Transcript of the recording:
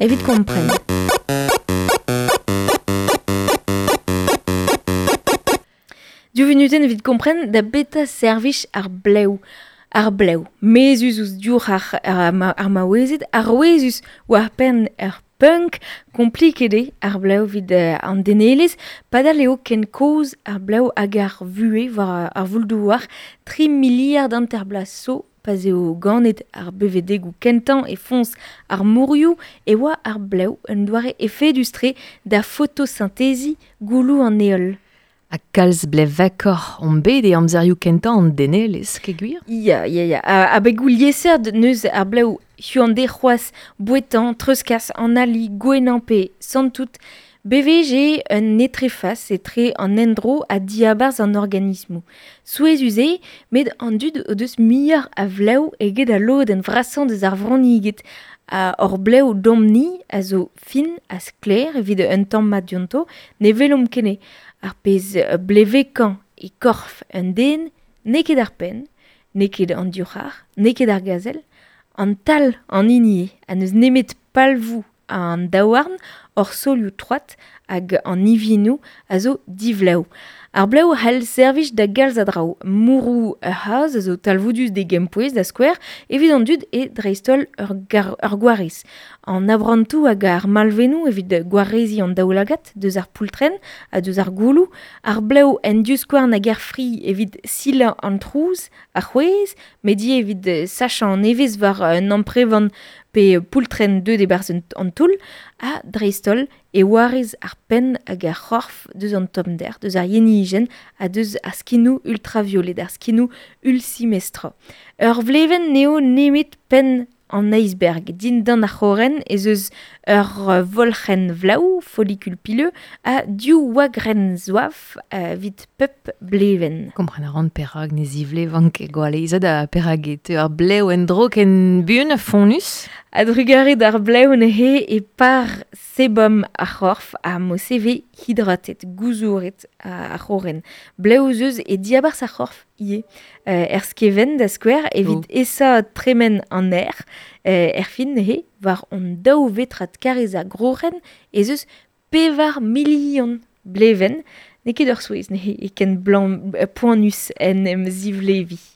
evit kompren. Div vunutenn evit kompren da beta servij ar blev. Ar blev, mezhus ouzh diour ar maouezed, arouezus war penn ar punk, kompliket eo ar blev evit an denelezh, padal eo ken kozh ar blev hag ar vuhez war ar voul-douar, 3 miliard hanter bloaz zo pa'z eo ganet ar bevedegoù kentañ e foñs ar morioù e oa ar blev un doare efedus-tre da fotosinteziñ gouloù an heol. Ha kalz blevekoc'h omp bet e amzerioù kentañ an denelezh, ket gwir? Ya, ya, ya. Abegoù liesseurt neus ar blev huan-dezhe c'hoazh bouetañ, treuzkas, analiñ, gouennañ pe santout. Bewech eo un etrefas etre an endro ha diabarzh an organismoù. Souezhus eo, met an dud o deus muioc'h a vlev eget al lodenn vrasañ deus ar vronniged. Ha hor blev domp-ni a zo fin ha sklaer evit un tamm mat dionto, ne welomp ket anezhe. Ar pezh blevekañ e korf un den n'eo ket ar penn, n'eo ket an divc'har, n'eo ket ar gazel, an tal an hini eo, ha n'eus nemet palvoù an daouarn, hor solioù troad hag an ivinoù a zo divlev. Ar blev a c'hell servij da galz a draoù. Mourroù ur c'hazh a zo talvoudus d'e gempouez, da skouer, evit an dud eo dreist-holl ur gwarez. An abrantoù hag ar malvennoù evit gwareziñ an daoulagad deus ar poultrenn ha deus ar gouloù. Ar blev en divskouarn hag er fri evit silañ an trouz, ar c'hwezh, met ivez evit sachañ an evezh war un amprevan pe poultrenn deuet e-barzh an toull, ha dreist-holl e warez ar penn hag ar c'horf deus an tommder, deus ar yenijenn ha deus ar skinoù ultraviolet, ar skinoù ulsimestra. Ur vlevenn n'eo nemet penn an iceberg. Dindan ar c'horren ez eus ur volc'henn vlev, follicule pileux, ha div wagrenn zouaf evit pep blevenn. Kompren a ran perak ne zivlevan ket gwall aezet ha perak e teu ar blev en-dro ken buan ha fonnus. A-drugarez d'ar blev neuze e par sebom ar c'horf ha mo-se vez hydratet, gouzouret ar c'horren. Blev ez eus e diabarzh ar c'horf ivez. Er skevent da skouer evit esa tremen an aer, erfin neuze, war hon daou vetrad karrez a groc'hen ez eus 4 milion blevenn. N'eo ket ur souezh neuze e ken poanus en em zivleviñ.